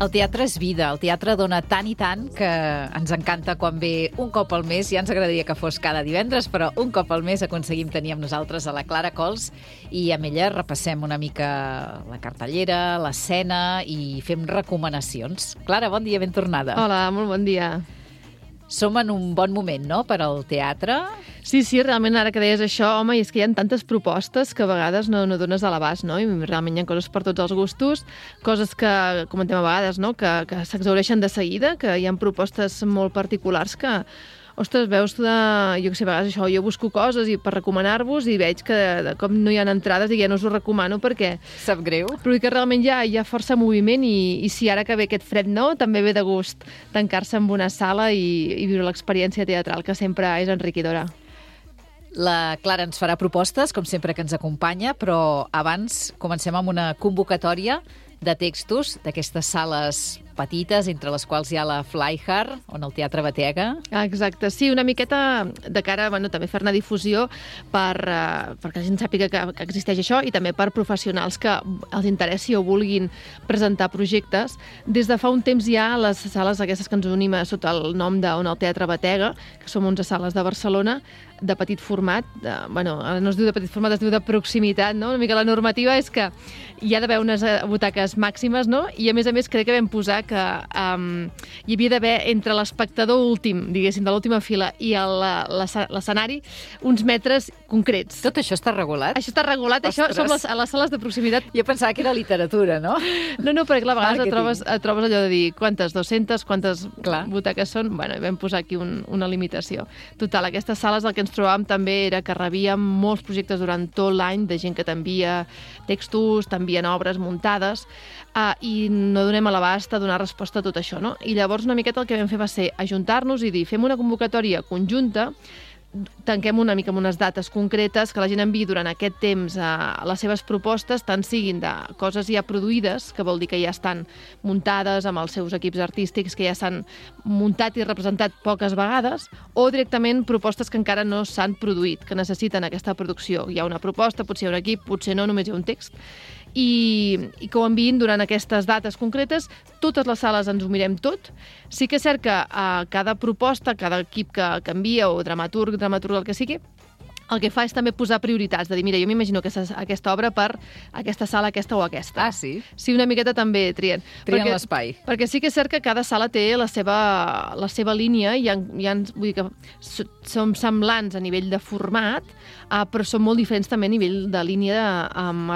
El teatre és vida, el teatre dona tant i tant que ens encanta quan ve un cop al mes. Ja ens agradaria que fos cada divendres, però un cop al mes aconseguim tenir amb nosaltres a la Clara Cols i amb ella repassem una mica la cartellera, l'escena i fem recomanacions. Clara, bon dia, ben tornada. Hola, molt bon dia. Som en un bon moment, no?, per al teatre. Sí, realment, ara que deies això, home, i és que hi ha tantes propostes que a vegades no dones a l'abast, no? I realment hi ha coses per tots els gustos, coses que comentem a vegades, no?, que s'exhaureixen de seguida, que hi ha propostes molt particulars que... Ostres, veus, jo què sé, a vegades això, jo busco coses i per recomanar-vos i veig que de cop no hi ha entrades i ja no us ho recomano perquè... Sap greu. Però que realment hi ha força moviment i si ara que ve aquest fred, no, també ve de gust tancar-se en una sala i viure l'experiència teatral, que sempre és enriquidora. La Clara ens farà propostes, com sempre que ens acompanya, però abans comencem amb una convocatòria de textos d'aquestes sales petites, entre les quals hi ha la Flyhard, on el teatre batega. Exacte, sí, una miqueta de cara, també fer-ne difusió perquè la gent sàpiga que existeix això i també per professionals que els interessi o vulguin presentar projectes. Des de fa un temps hi ha les sales aquestes que ens unim sota el nom d'on el teatre batega, que som 11 sales de Barcelona, de petit format, ara no es diu de petit format, es diu de proximitat, no? Una mica la normativa és que hi ha d'haver unes butaques màximes, no? I a més crec que vam posar que hi havia d'haver entre l'espectador últim, diguéssim, de l'última fila i l'escenari, uns metres concrets. Tot això està regulat? Això està regulat, Ostres. Això som a les sales de proximitat. Jo pensava que era literatura, no? No, perquè a vegades et trobes allò de dir quantes, 200, quantes butaques són. Bueno, vam posar aquí una limitació. Total, aquestes sales el que ens trobàvem també era que rebíem molts projectes durant tot l'any de gent que t'envia textos, t'envien obres muntades i no donem a l'abast a donar resposta a tot això, no? I llavors una miqueta el que vam fer va ser ajuntar-nos i dir, fem una convocatòria conjunta, tanquem una mica amb unes dates concretes, que la gent enviï durant aquest temps les seves propostes, tant siguin de coses ja produïdes, que vol dir que ja estan muntades amb els seus equips artístics, que ja s'han muntat i representat poques vegades, o directament propostes que encara no s'han produït, que necessiten aquesta producció. Hi ha una proposta, potser hi ha un equip, potser no, només hi ha un text, i que ho enviïn durant aquestes dates concretes. Totes les sales ens ho mirem tot. Sí que és cert que cada proposta, cada equip que envia, o dramaturg, el que sigui, el que fa és també posar prioritats, de dir, mira, jo m'imagino aquesta obra per aquesta sala, aquesta o aquesta. Ah, sí? Sí, una miqueta també trien. Trien l'espai. Perquè sí que és cert que cada sala té la seva línia, i vull dir que som semblants a nivell de format, però són molt diferents també a nivell de línia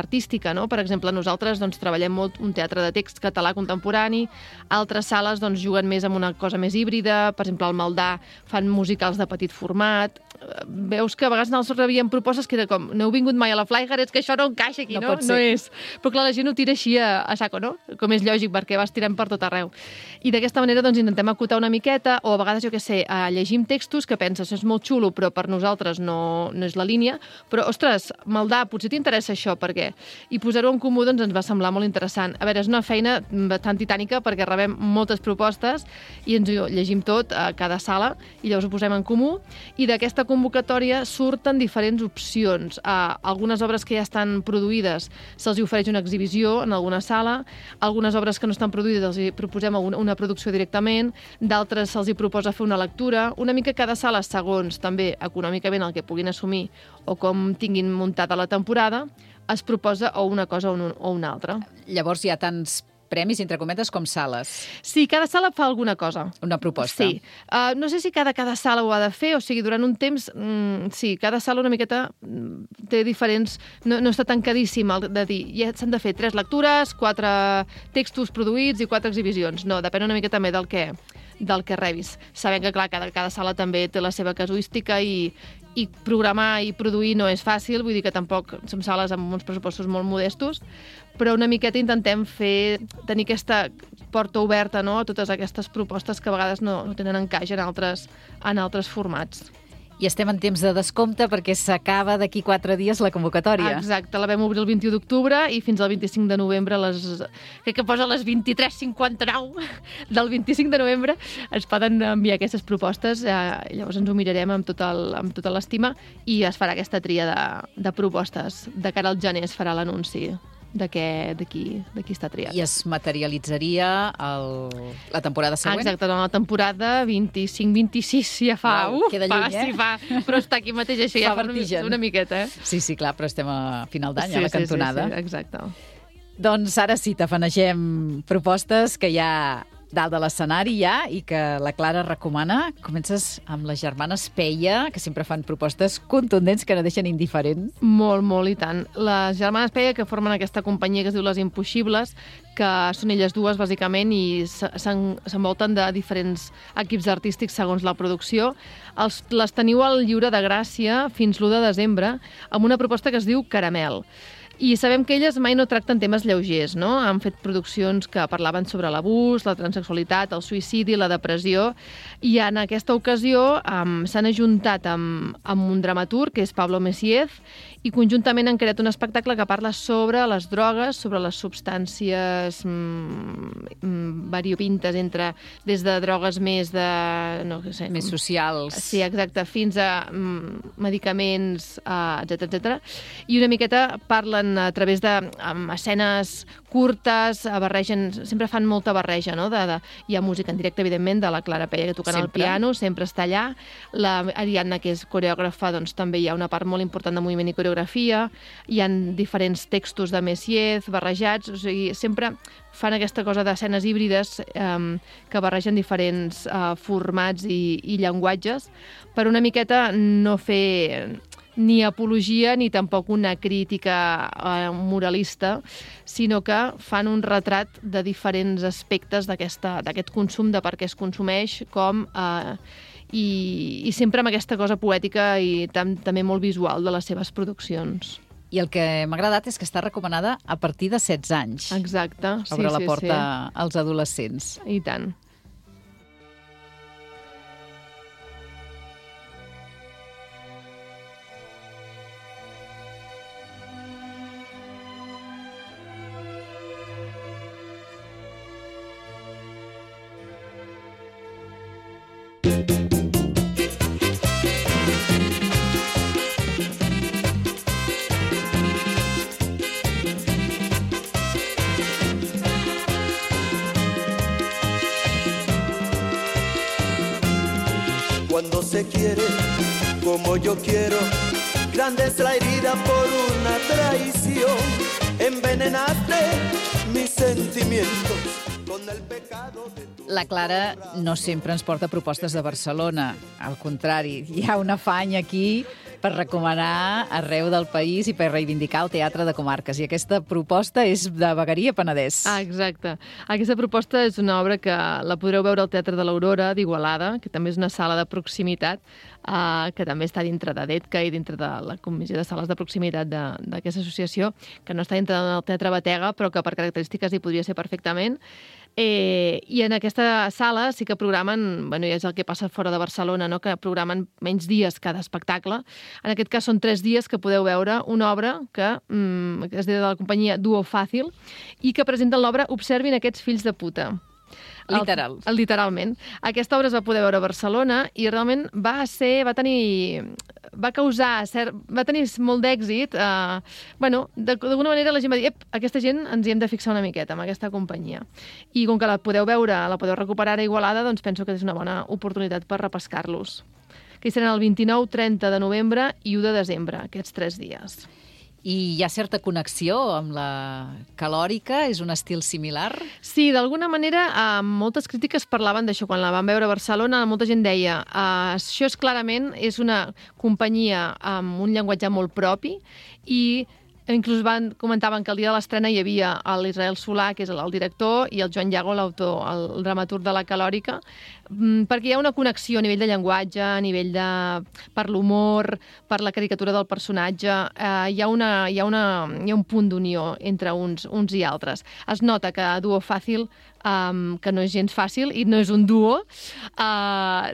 artística, no? Per exemple, nosaltres treballem molt un teatre de text català contemporani, altres sales juguen més amb una cosa més híbrida, per exemple, al Maldà fan musicals de petit format. Veus que a vegades nosaltres rebíem propostes que era com, no heu vingut mai a la Flyhard, és que això no encaixa aquí, no? No és. Però clar, la gent ho tira així a saco, no? Com és lògic, perquè vas tirant per tot arreu. I d'aquesta manera intentem acotar una miqueta, o a vegades, jo què sé, llegim textos que penses, és molt xulo, però per nosaltres no és la línia, però, ostres, Maldà, potser t'interessa això, per què? I posar-ho en comú ens va semblar molt interessant. A veure, és una feina tan titànica perquè rebem moltes propostes i ens ho llegim tot a cada sala i llavors ho posem en comú, i d'aquesta convocatòria surten diferents opcions. Algunes obres que ja estan produïdes se'ls ofereix una exhibició en alguna sala, algunes obres que no estan produïdes els proposem una producció directament, d'altres se'ls proposa fer una lectura, una mica cada sala, segons també econòmicament el que puguin assumir o com tinguin muntada la temporada, es proposa o una cosa o una altra. Llavors hi ha tants premis, entre cometes, com sales. Sí, cada sala fa alguna cosa. Una proposta. Sí. No sé si cada sala ho ha de fer, o sigui, durant un temps, sí, cada sala una miqueta té diferents... No està tancadíssim de dir, ja s'han de fer 3 lectures, 4 textos produïts i 4 exhibicions. No, depèn una miqueta també del que rebis. Sabem que, clar, cada sala també té la seva casuística i programar i produir no és fàcil, vull dir que tampoc som sales amb uns pressupostos molt modestos, però una miqueta intentem tenir aquesta porta oberta, no?, a totes aquestes propostes que a vegades no tenen encaix en altres formats. I estem en temps de descompte perquè s'acaba d'aquí 4 dies la convocatòria. Exacte, la vam obrir el 21 d'octubre i fins al 25 de novembre, crec que posa les 23:59 del 25 de novembre, es poden enviar aquestes propostes, llavors ens ho mirarem amb tota l'estima i es farà aquesta tria de propostes. De cara al gener es farà l'anunci de qui està triat. I es materialitzaria la temporada següent? Exacte, la temporada 25-26 ja fa... Queda lluny, fa, però està aquí mateix, això ja fa una miqueta. Sí, clar, però estem a final d'any, a la cantonada. Sí, exacte. Doncs ara sí, tafanegem propostes que hi ha dalt de l'escenari ja i que la Clara recomana. Comences amb les germanes Peia, que sempre fan propostes contundents que no deixen indiferent. Molt, i tant. Les germanes Peia, que formen aquesta companyia que es diu Les Impossibles, que són elles dues, bàsicament, i s'envolten de diferents equips artístics segons la producció. Les teniu al Lliure de Gràcia fins l'1 de desembre amb una proposta que es diu Caramel. I sabem que elles mai no tracten temes lleugers, no? Han fet produccions que parlaven sobre l'abús, la transsexualitat, el suïcidi, la depressió, i en aquesta ocasió s'han ajuntat amb un dramaturg, que és Pablo Messiez, i conjuntament han creat un espectacle que parla sobre les drogues, sobre les substàncies variopintes, des de drogues més de... no sé, més socials. Sí, exacte, fins a medicaments, etcètera. I una miqueta parlen a través d'escenes curtes, sempre fan molta barreja, no? Hi ha música en directe, evidentment, de la Clara Peia, que tocant el piano, sempre està allà. La Ariadna, que és coreògrafa, doncs també hi ha una part molt important de moviment i coreografia. Hi ha diferents textos de Messiez barrejats, o sigui, sempre fan aquesta cosa d'escenes híbrides que barregen diferents formats i llenguatges per una miqueta no fer ni apologia ni tampoc una crítica moralista, sinó que fan un retrat de diferents aspectes d'aquest consum, de per què es consumeix, com... I sempre amb aquesta cosa poètica i també molt visual de les seves produccions. I el que m'ha agradat és que està recomanada a partir de 16 anys. Exacte, sí. Obre la porta als adolescents. I tant. Cuando se quiere como yo quiero, grande es la herida por una traición. Envenenaste mis sentimientos con el pecado de tu... La Clara no sempre ens porta propostes de Barcelona. Al contrari, hi ha un afany aquí per recomanar arreu del país i per reivindicar el teatre de comarques. I aquesta proposta és de Vegueria Penedès. Exacte. Aquesta proposta és una obra que la podreu veure al Teatre de l'Aurora d'Igualada, que també és una sala de proximitat, que també està dintre de DETCA i dintre de la Comissió de Sales de Proximitat d'aquesta associació, que no està dintre del Teatre Batega, però que per característiques hi podria ser perfectament. I en aquesta sala sí que programen, i és el que passa fora de Barcelona, no? Que programen menys dies cada espectacle. En aquest cas són 3 dies que podeu veure una obra que es diu de la companyia Duo Fàcil i que presenten l'obra Observin aquests fills de puta. Literalment. Aquesta obra es va poder veure a Barcelona i realment va tenir molt d'èxit. D'alguna manera la gent va dir aquesta gent ens hi hem de fixar una miqueta amb aquesta companyia. I com que la podeu veure, la podeu recuperar a Igualada, doncs penso que és una bona oportunitat per repescar-los. Que hi seran el 29, 30 de novembre i 1 de desembre, aquests 3 dies. I hi ha certa connexió amb la calòrica? És un estil similar? Sí, d'alguna manera, moltes crítiques parlaven d'això. Quan la van veure a Barcelona, molta gent deia això és una companyia amb un llenguatge molt propi i inclús comentaven que el dia de l'estrena hi havia l'Israel Solà, que és el director, i el Joan Llago, l'autor, el dramaturg de la calòrica, perquè hi ha una connexió a nivell de llenguatge, a nivell per l'humor, per la caricatura del personatge, hi ha un punt d'unió entre uns i altres. Es nota que Duo Fàcil, que no és gens fàcil i no és un duo, ha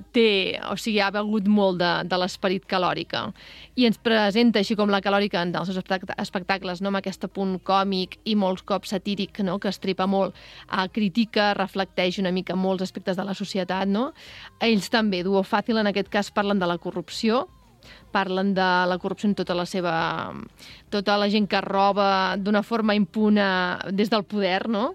begut molt de l'esperit calòrica i ens presenta, així com la calòrica en els seus espectacles, no, amb aquest punt còmic i molts cops satíric, no, que estripa molt, critica, reflecteix una mica molts aspectes de la societat, no? Ells també, Duo Fàcil, en aquest cas parlen de la corrupció parlen de la corrupció en tota la gent que roba d'una forma impune des del poder, no?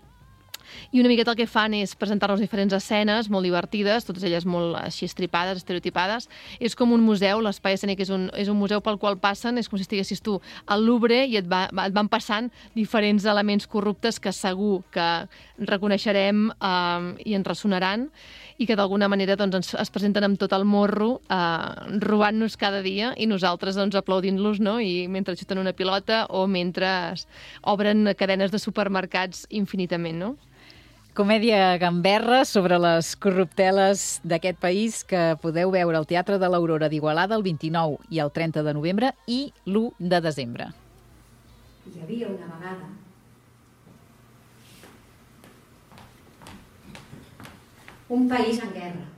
I una miqueta el que fan és presentar-nos diferents escenes molt divertides, totes elles molt així estripades, estereotipades. És com un museu, l'espai escènic és un museu pel qual passen, és com si estiguessis tu al Louvre i et van passant diferents elements corruptes que segur que reconeixerem i ens ressonaran i que d'alguna manera doncs, es presenten amb tot el morro, robant-nos cada dia i nosaltres doncs, aplaudint-los, no? I mentre xuten una pilota o mentre obren cadenes de supermercats infinitament, no? Comèdia gamberra sobre les corrupteles d'aquest país que podeu veure al Teatre de l'Aurora d'Igualada el 29 i el 30 de novembre i l'1 de desembre. Hi havia una vegada un país en guerra.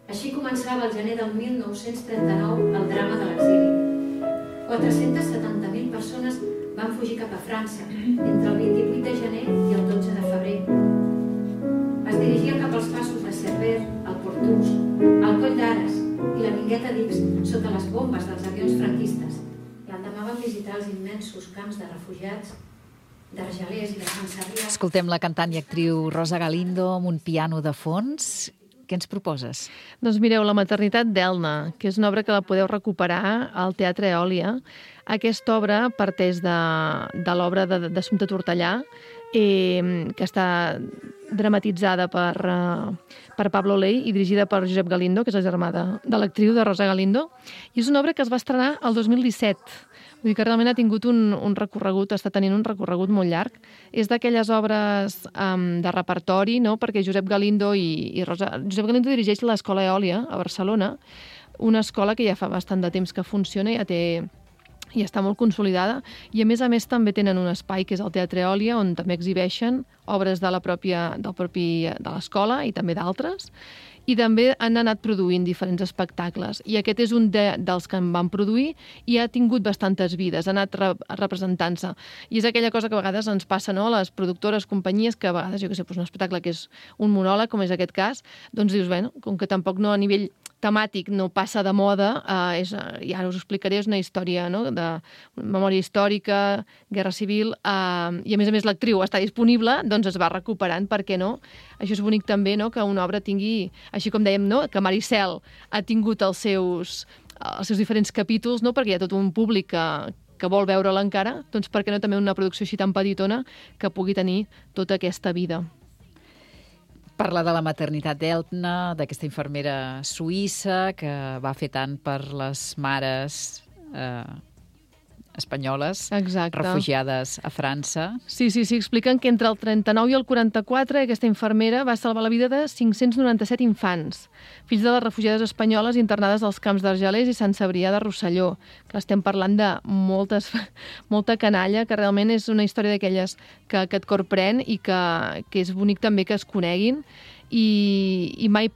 Així començava el gener del 1939 el drama de l'exili. 470.000 persones van fugir cap a França entre el 28 de gener i el 12 de febrer. Es dirigien cap als passos de Cerver, el Portús, el Coll d'Ares i la Mingueta d'Ix sota les bombes dels avions franquistes. L'endemà van visitar els immensos camps de refugiats d'Argelers i de Sant Cebrià. Escoltem la cantant i actriu Rosa Galindo amb un piano de fons. Què ens proposes? Doncs mireu, La maternitat d'Elna, que és una obra que la podeu recuperar al Teatre Eòlia. Aquesta obra parteix de l'obra d'Assumpta Tortellà, que està dramatitzada per Pablo Ley i dirigida per Josep Galindo, que és el germà de l'actriu de Rosa Galindo. I és una obra que es va estrenar el 2017. Vull dir que realment ha tingut un recorregut, està tenint un recorregut molt llarg. És d'aquelles obres de repertori, no? Perquè Josep Galindo Josep Galindo dirigeix l'Escola Eòlia a Barcelona, una escola que ja fa bastant de temps que funciona, i està molt consolidada, i a més també tenen un espai que és el Teatre Eòlia, on també exhibeixen obres de l'escola i també d'altres, i també han anat produint diferents espectacles. I aquest és un dels que en van produir i ha tingut bastantes vides, ha anat representant-se. I és aquella cosa que a vegades ens passa, no?, a les productores, companyies, que a vegades, jo què sé, un espectacle que és un monòleg, com és aquest cas, doncs dius, bé, com que tampoc no a nivell temàtic no passa de moda, i ara us explicaré, és una història, no?, de memòria històrica, guerra civil, i a més l'actriu està disponible, doncs es va recuperant, per què no? Això és bonic també, no?, que una obra tingui, així com dèiem, no?, que Maricel ha tingut els seus diferents capítols, no?, perquè hi ha tot un públic que vol veure-la encara, doncs per què no també una producció així tan petitona que pugui tenir tota aquesta vida. Parla de la maternitat d'Elna, d'aquesta infermera suïssa que va fer tant per les mares espanyoles, exacte, refugiades a França. Sí, expliquen que entre el 39 i el 44 aquesta infermera va salvar la vida de 597 infants, fills de les refugiades espanyoles internades als camps d'Argelers i Sant Cebrià de Rosselló, que estem parlant de molta canalla, que realment és una història d'aquelles que et corprèn i que és bonic també que es coneguin. I mai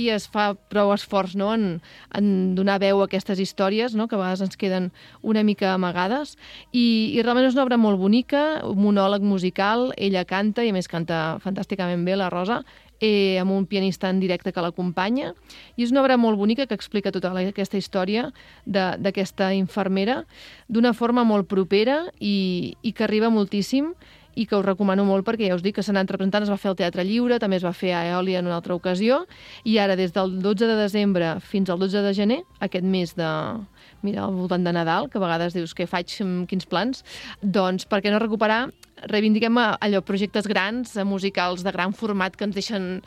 es fa prou esforç, no?, en donar veu a aquestes històries, no?, que a vegades ens queden una mica amagades, i realment és una obra molt bonica, un monòleg musical, ella canta, i a més canta fantàsticament bé, la Rosa, amb un pianista en directe que l'acompanya, i és una obra molt bonica que explica tota aquesta història d'aquesta infermera d'una forma molt propera i que arriba moltíssim, i que us recomano molt perquè ja us dic que s'ha anat representant, es va fer al Teatre Lliure, també es va fer a Eòlia en una altra ocasió, i ara des del 12 de desembre fins al 12 de gener, aquest mes al voltant de Nadal, que a vegades dius què faig, quins plans, doncs per què no recuperar, reivindiquem allò, projectes grans, musicals de gran format que ens deixen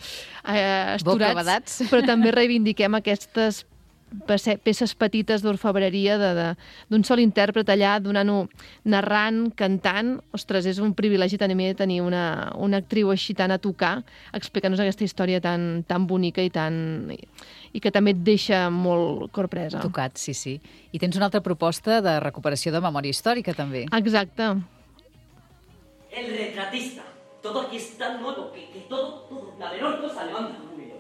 esturats, però també reivindiquem aquestes peces petites d'orfebreria d'un sol intèrpret allà, narrant, cantant. Ostres, és un privilegi també tenir una actriu així tan a tocar, explicant-nos aquesta història tan bonica i que també et deixa molt corpresa. Tocat, sí. I tens una altra proposta de recuperació de memòria històrica, també. Exacte. El retratista. Todo aquí es tan nuevo que todo, la menor cosa levanta un ruido.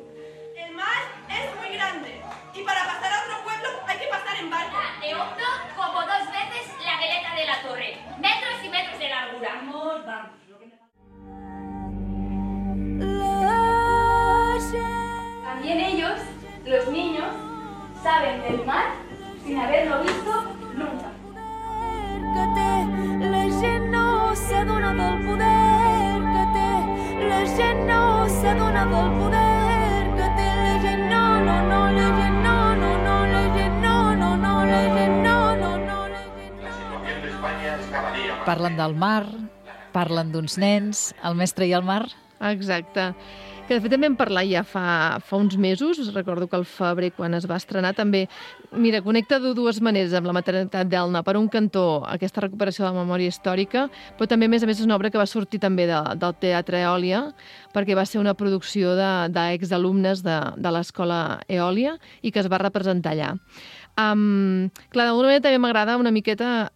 saben del mar sin haberlo visto nunca. La gent no s'adona del poder que té, la gent no s'adona del poder que té, la gent no, la gent no, la gent no, la gent no, la gent no. Parlen del mar, parlen d'uns nens, el mestre i el mar. Exacte. Que de fet també vam parlar ja fa uns mesos, recordo que al febrer quan es va estrenar també, mira, connecta de dues maneres amb la maternitat d'Elna. Per un cantó, aquesta recuperació de la memòria històrica, però també, a més, és una obra que va sortir també del Teatre Eòlia, perquè va ser una producció d'exalumnes de l'escola Eòlia i que es va representar allà. Clar, d'alguna manera també m'agrada una miqueta,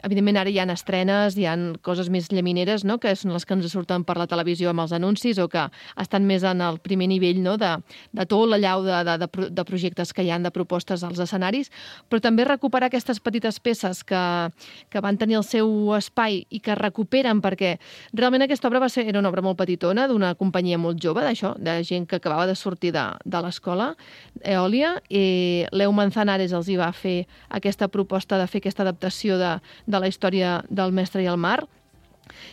evidentment ara hi ha estrenes, hi ha coses més llamineres, no?, que són les que ens surten per la televisió amb els anuncis o que estan més en el primer nivell, no?, de tot l'allau de projectes que hi ha, de propostes als escenaris, però també recuperar aquestes petites peces que van tenir el seu espai i que recuperen, perquè realment aquesta obra era una obra molt petitona, d'una companyia molt jove, d'això, de gent que acabava de sortir de l'escola Eòlia, i Leo Manzanares els hi va fer aquesta proposta de fer aquesta adaptació de la història del mestre i el mar,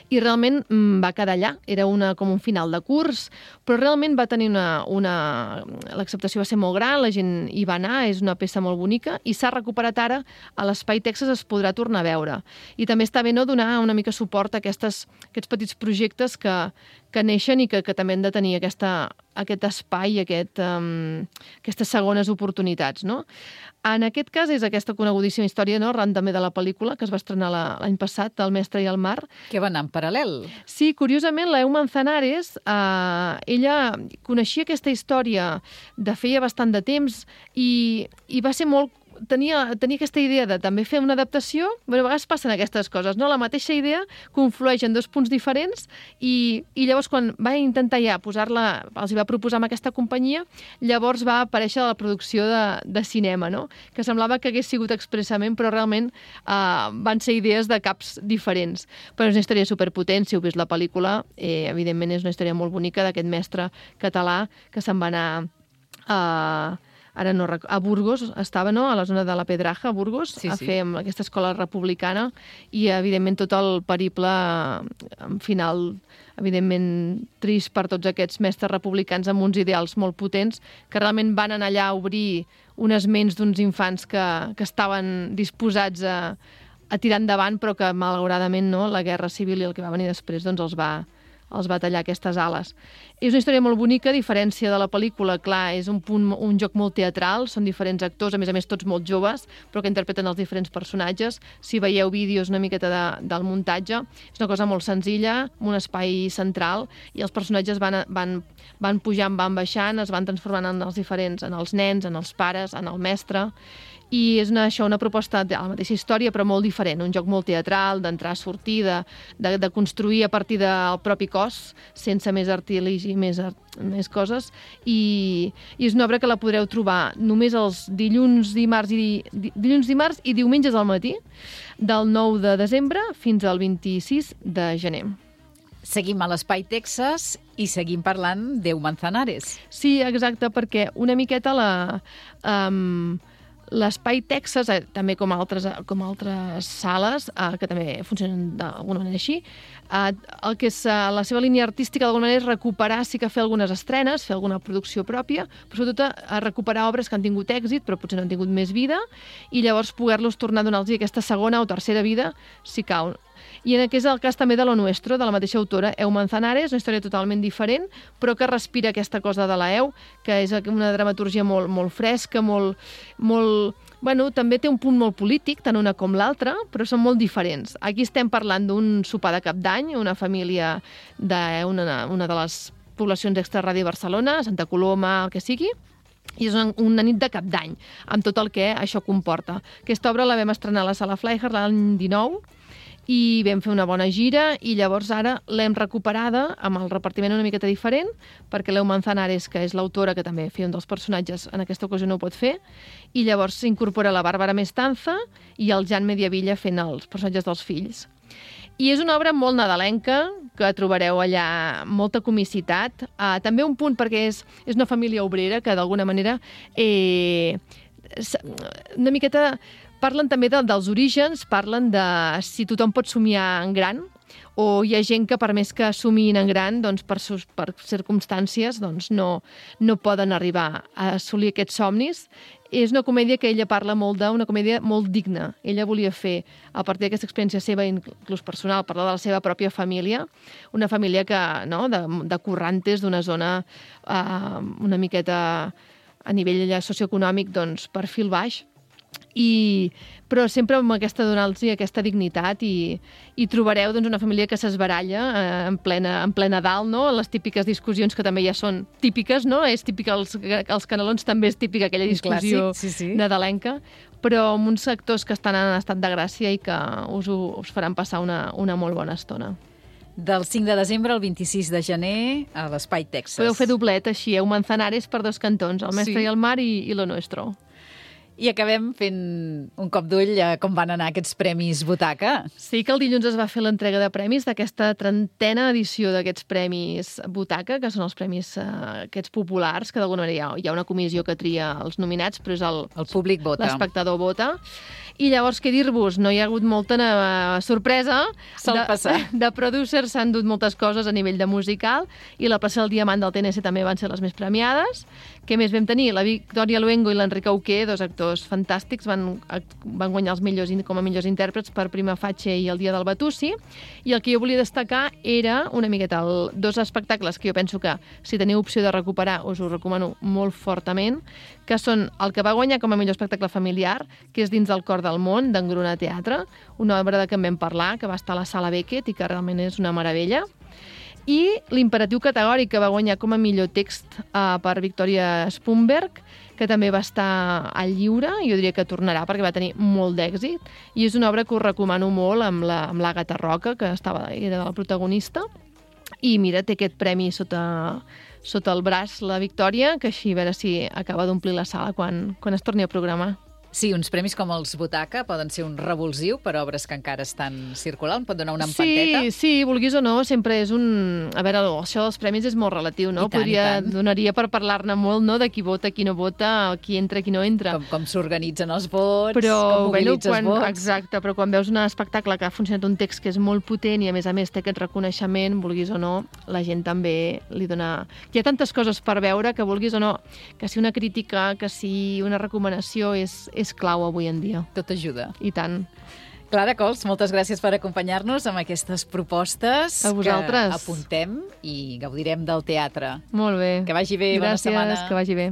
i realment va quedar allà. Era com un final de curs, però realment va tenir l'acceptació va ser molt gran, la gent hi va anar, és una peça molt bonica, i s'ha recuperat ara a l'Espai Texas, es podrà tornar a veure. I també està bé, no?, donar una mica suport a aquests petits projectes que neixen i que també han de tenir aquest espai, aquestes segones oportunitats, no? En aquest cas és aquesta conegudíssima història, no?, arran també de la pel·lícula que es va estrenar l'any passat, El mestre i el mar. Que va anar en paral·lel. Sí, curiosament, la Leo Manzanares, ella coneixia aquesta història de feia bastant de temps i va ser molt... Tenia aquesta idea de també fer una adaptació, però a vegades passen aquestes coses, no? La mateixa idea conflueix en dos punts diferents i llavors quan va intentar ja posar-la, els hi va proposar amb aquesta companyia, llavors va aparèixer la producció de cinema, no? Que semblava que hagués sigut expressament, però realment van ser idees de caps diferents. Però és una història superpotent, si heu vist la pel·lícula, evidentment és una història molt bonica d'aquest mestre català que se'n va anar a Burgos, estava, no?, a la zona de la Pedraja, a Burgos, a fer amb aquesta escola republicana i, evidentment, tot el periple final, evidentment, trist per tots aquests mestres republicans amb uns ideals molt potents que realment van anar allà a obrir unes ments d'uns infants que estaven disposats a tirar endavant, però que, malauradament, no?, la guerra civil i el que va venir després doncs els va tallar aquestes ales. És una història molt bonica, a diferència de la pel·lícula, clar, és un joc molt teatral, són diferents actors, a més tots molt joves, però que interpreten els diferents personatges. Si veieu vídeos una miqueta del muntatge, és una cosa molt senzilla, amb un espai central, i els personatges van pujant, van baixant, es van transformant en els diferents, en els nens, en els pares, en el mestre, i és una proposta de la mateixa història però molt diferent, un joc molt teatral, d'entrar, sortir, de construir a partir del propi cos, sense més artiligi, més coses, i és una obra que la podreu trobar només els dilluns, dimarts i diumenges al matí, del 9 de desembre fins al 26 de gener. Seguim a l'Espai Texas i seguim parlant d'Eu Manzanares. Sí, exacte, perquè una miqueta l'Espai Texas, també com altres sales, que també funcionen d'alguna manera així, el que és la seva línia artística d'alguna manera és recuperar, sí que fer algunes estrenes, fer alguna producció pròpia, però sobretot a recuperar obres que han tingut èxit però potser no han tingut més vida i llavors poder-los tornar a donar-los aquesta segona o tercera vida si cal. I en aquest és el cas també de Lo Nuestro, de la mateixa autora, Eo Manzanares, una història totalment diferent, però que respira aquesta cosa de la Eo, que és una dramaturgia molt fresca, bueno, també té un punt molt polític, tant una com l'altra, però són molt diferents. Aquí estem parlant d'un sopar de Cap d'Any, una família d'una de les poblacions extrarradi de Barcelona, Santa Coloma, el que sigui, i és una nit de Cap d'Any, amb tot el que això comporta. Aquesta obra la vam estrenar a la Sala Fleischer l'any 19, i vam fer una bona gira i llavors ara l'hem recuperada amb el repartiment una miqueta diferent perquè l'Eu Manzanares, que és l'autora que també feia un dels personatges, en aquesta ocasió no ho pot fer, i llavors s'incorpora la Bàrbara Mestanza i el Jan Mediavilla fent els personatges dels fills. I és una obra molt nadalenca, que trobareu allà molta comicitat. També un punt perquè és una família obrera que d'alguna manera una miqueta parlen també dels orígens, parlen de si tothom pot somiar en gran, o hi ha gent que per més que somiïn en gran, doncs per circumstàncies doncs no poden arribar a assolir aquests somnis. És una comèdia que ella parla molt una comèdia molt digna. Ella volia fer, a partir d'aquesta experiència seva, inclús personal, parlar de la seva pròpia família, una família que, no, de currantes, d'una zona una miqueta a nivell socioeconòmic, doncs, perfil baix, però sempre amb aquesta donar-los aquesta dignitat i trobareu doncs, una família que s'esbaralla en plena dalt, no? Les típiques discussions que també ja són típiques, no? És típica els Canelons, també és típica aquella discussió nadalenca, però amb uns actors que estan en estat de gràcia i que us faran passar una molt bona estona. Del 5 de desembre al 26 de gener a l'Espai Texas. Podeu fer doblet, així, Manzanares per 2 cantons, El Mestre i el Mar i Lo Nuestro. I acabem fent un cop d'ull a com van anar aquests Premis Butaca. Sí, que el dilluns es va fer l'entrega de premis d'aquesta 30a edició d'aquests Premis Butaca, que són els premis aquests populars, que d'alguna manera hi ha una comissió que tria els nominats, però és el públic vota. L'espectador vota. I llavors, què dir-vos? No hi ha hagut molta sorpresa. Sol passar. De producers s'han dut moltes coses a nivell de musical i la plaça del Diamant del TNC també van ser les més premiades. Què més vam tenir? La Victòria Luengo i l'Enric Auqué, 2 actors fantàstics, van guanyar els millors com a millors intèrprets per Prima Facie i El dia del Batussi. I el que jo volia destacar era una miqueta 2 espectacles que jo penso que si teniu opció de recuperar us ho recomano molt fortament, que són el que va guanyar com a millor espectacle familiar, que és Dins del cor del món, d'Engruna Teatre, una obra de què en vam parlar, que va estar a la Sala Beckett i que realment és una meravella. I L'Imperatiu categòric, que va guanyar com a millor text per Victoria Spunberg, que també va estar al lliure, jo diria que tornarà perquè va tenir molt d'èxit, i és una obra que us recomano molt amb l'Àgata Roca, que era la protagonista, i mira, té aquest premi sota el braç, la Victòria, que així a veure si acaba d'omplir la sala quan es torni a programar. Sí, uns premis com els Butaca poden ser un revulsiu per obres que encara estan circulant, pot donar una empanteta. Sí, vulguis o no, sempre és un... A veure, això dels premis és molt relatiu, no? I tant. Donaria per parlar-ne molt, no?, de qui vota, qui no vota, qui entra, qui no entra. Com s'organitzen els vots, com mobilitzes vots. Exacte, però quan veus un espectacle que ha funcionat un text que és molt potent i a més té aquest reconeixement, vulguis o no, la gent també li dona... Hi ha tantes coses per veure que vulguis o no, que si una crítica, que si una recomanació és clau avui en dia. Tot ajuda. I tant. Clara Cols, moltes gràcies per acompanyar-nos amb aquestes propostes que apuntem i gaudirem del teatre. Molt bé. Que vagi bé, gràcies, bona setmana. Que vagi bé.